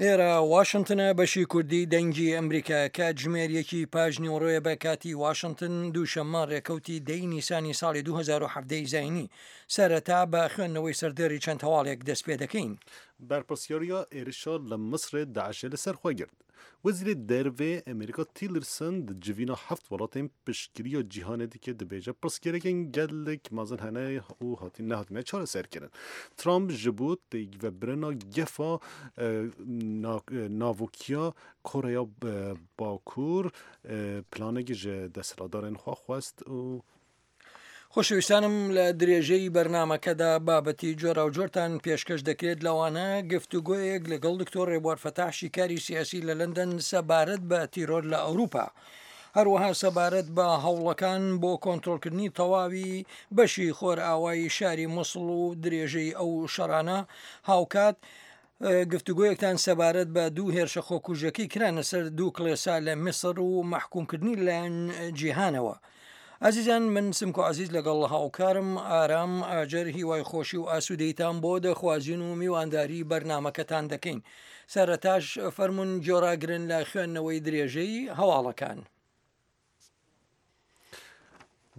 ئێرە واشنتنە بەشی کوردی دەنگی ئەمریکا کاتژمێر یەکی پاش نیوەڕۆیە بە کاتی واشنتن دووشەممە ڕێکەوتی دەی نیسانی ساڵی 2017 زینی سەرەتا بە خوێندنەوەی سەردێڕی چەند هەواڵێک دەست پێ دەکەین. بەرپرسیارییا êrişa li Misrê DAIŞ'ê li ser xwe girt. Wezîrê Derve Amerîka Tillerson di civîna heft welatên piştgiriya cîhanê dike dibêje pirsgirêkên gelek mezin hene û hatîn nehatine çareserkirin. Trump ji bo têkvebirina gefa navokiya Koreya Bakur planekî ji desthilatdarên xwe xwest û خۆشەویستانم لە درێژەی بەرنامەکەدا بابەتی جۆراوجۆرتان پێشکەش دەکرێت لەوانە گفتوگۆیەک لەگەڵ دکتۆر ڕێبوار فەتاح شیکاری سیاسی لە لەندەن سەبارەت بە تیرۆر لە ئەوروپا. هەروەها سەبارەت بە هەوڵەکان بۆ کۆنترۆڵکردنی تەواوی بەشی خۆرئاوای شاری موسڵ و درێژەی ئەو شەڕانە هاوکات گفتوگۆیەکتان سەبارەت بە دوو هێرشە خۆکوژەکەی کرانە سەر دوو کڵێسا لە میسر و مەحکومکردنی لەلایەن جیهانەوە. ئازیزان من سمکۆ عزیز لەگەڵ هاوکارم ئارام ئاجەر هیوای خۆشی و ئاسوودەیتان بۆ دەخوازین و میوانداری بەرنامەکەتان دەکەین. سەرەتاش فەرمونون گۆڕاگرن لە خوێندنەوەی درێژەی هەواڵەکان.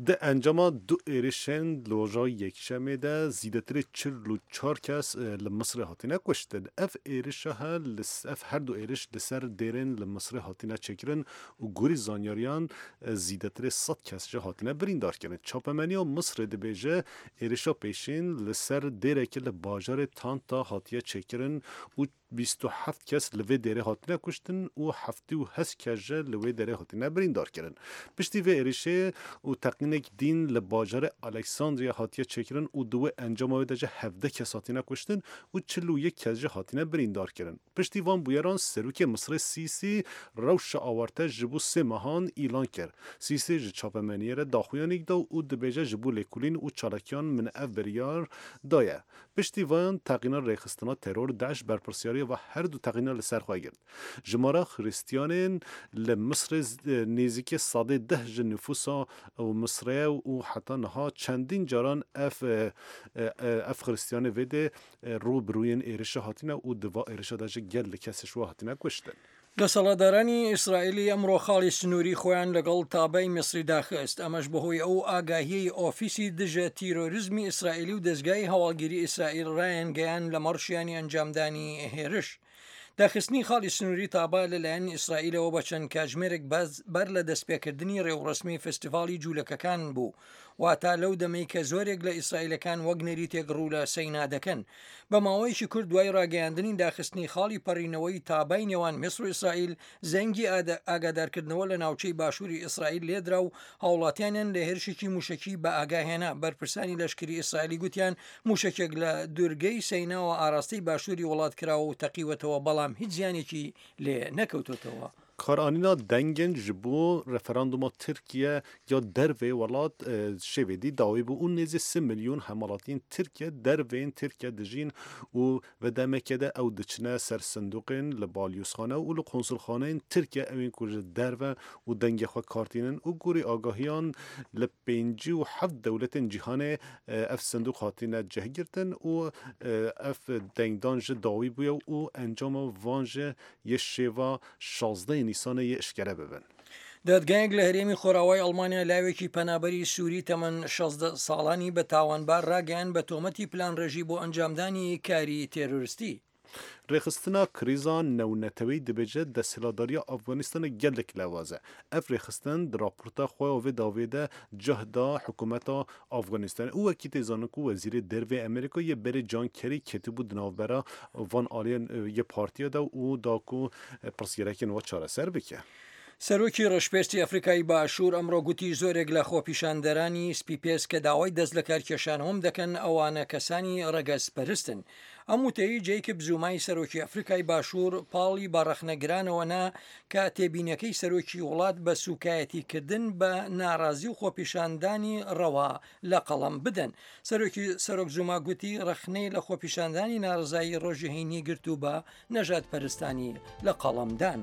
Di encama du êrişên li roja Yekşemê de zêdetirê 44 kes li Misrê hatine kuştin. Ev êrişa he li ev her du êriş li ser dêrên li Misrê hatine çêkirin û gorî zanyariyan zêdetirê sed kes jî hatine birîndarkirin. Çapemeniya Misrê dibêje êrişa pêşîn li ser dêrekê li bajarê Tanta hatiye çêkirin û 27 kes li vê dêrê hatine kuştin û 78 kes jî li wê derê hatine birîndarkirin. Piştî vê êrişê û teqînek dîn li bajarê Aleksandriya hatiye çêkirin û di wê encama wê de jî 17 kes hatine kuştin û 41 kes jî hatine birîndarkirin. Piştî van bûyeran Serokê Misrê Sîsî rewşa awarte ji bo sê mehan îlan kir. Sîsî ji çapemeniyê re daxuyanîk da û dibêje ji bo lêkolîn û çalakiyan min ev biryar daye. Piştî van teqîna rêxistina teror DAIŞ berpirsyariya ve her du teqîna li ser xwe girt. Jimara Xristiyanên li Misrê nêzîkê sedê deh ji nüfusa Misrê ye û heta niha çendîn caran ev ev Xristiyanê vê dê rû bi rûyên êrişa hatine û di va êrişa de jî gelek kes ji we hatine kuştin. دەسەڵاتدارانی ئیسرائیلی ئەمڕۆ خاڵی سنووری خۆیان لەگەڵ تابای میسری داخست، ئەمەش بەهۆی ئەو ئاگاهیەی ئۆفیسی دژە تیرۆریزمی ئیسرائیلی و دەزگای هەواڵگیری ئیسرائیل ڕایانگەیاند لەمەڕ شیانی ئەنجامدانی هێرش. داخستنی خاڵی سنووری تابا لەلایەن ئیسرائیلەوە بە چەند کاتژمێرێک بەر لە دەستپێکردنی ڕێوڕەسمی فستیڤاڵی جوولەکەکان بوو، واتە لەو دەمەی کە زۆرێک لە ئیسرائیلەکان وەک نەریتێک ڕوو لە سەینا دەکەن. بە ماوەیەکی کورت دوای ڕاگەیاندنی داخستنی خاڵی پەڕینەوەی تابای نێوان میسر و ئیسرائیل، زەنگی ئاگادارکردنەوە لە ناوچەی باشووری ئیسرائیل لێدرا و هاوڵاتیانیان لە هێرشێکی مووشەکی بە ئاگا هێنا. بەرپرسانی لەشکری ئیسرائیلی گوتیان مووشەکێک لە دورگەی سەیناوە ئاراستەی باشووری وڵات کراوە و تەقیوەتەوە، بەڵام هیچ زیانێکی لێ نەکەوتۆتەوە. Karanîna dengên ji bo referanduma Tirkiye ya derveyê welat şêvêdî dawî bû û nêzî sê milyon hemwelatiyên Tirkiye derveyên Tirkiye dijîn û ve demekê de ew diçine ser sindoqên li balyozxane û li konsulxaneyên Tirkiye ewên ku ji derve û dengê xwe kar tînin û gorî agahiyan li 57 dewletên cîhanê ev sindoq hatine cihgirtin û ev dengdan ji dawî bûye û encama van ji yê şêva 16 Nîsanê yê eşkere bibin. دادگایەک لە هەرێمی خۆراوای ئەڵمانیا لاوێکی پەنابەری سووری تەمەن 16 ساڵانی بە تاوانبار ڕاگەیاند بە تۆمەتی پلانڕێژی بۆ ئەنجامدانی کاری تێرۆرستی. Rêxistina krîza navneteweyî dibêje desthilatdariya Afganistanê gelek lewaz e. Ev rêxistin di raporta xwe ya vê dawiyê de cih da hikûmeta Afganistanê û wekî tê zanin ku Wezîrê Derveyê Amerîka yê berê John Kerry ketibû di navbera van aliyên yê partiya de û da ku pirsgirêkên we çareser bike. سەرۆکی ڕەشپێستی ئەفریکای باشوور ئەمڕۆ گوتی زۆرێک لە خۆپیشاندەرانی سپیپێست کە داوای دەست لەکارکێشانەوەم دەکەن ئەوانە کەسانی ڕەگەزپەرستن. ئەم وتەیەی جەیکب زومای سەرۆکی ئەفریکای باشوور پاڵی بە ڕەخنەگرانەوە نا کە تێبینیەکەی سەرۆکی وڵات بە سوکایەتیکردن بە ناڕازی و خۆپیشاندانی ڕەوا لە قەڵەم بدەن. سەرۆکی سەرۆک زوما گوتی ڕەخنەی لە خۆپیشاندانی ناڕەزایی ڕۆژی هەینی گرت و بە نەژادپەرستانی لە قەڵەم دان.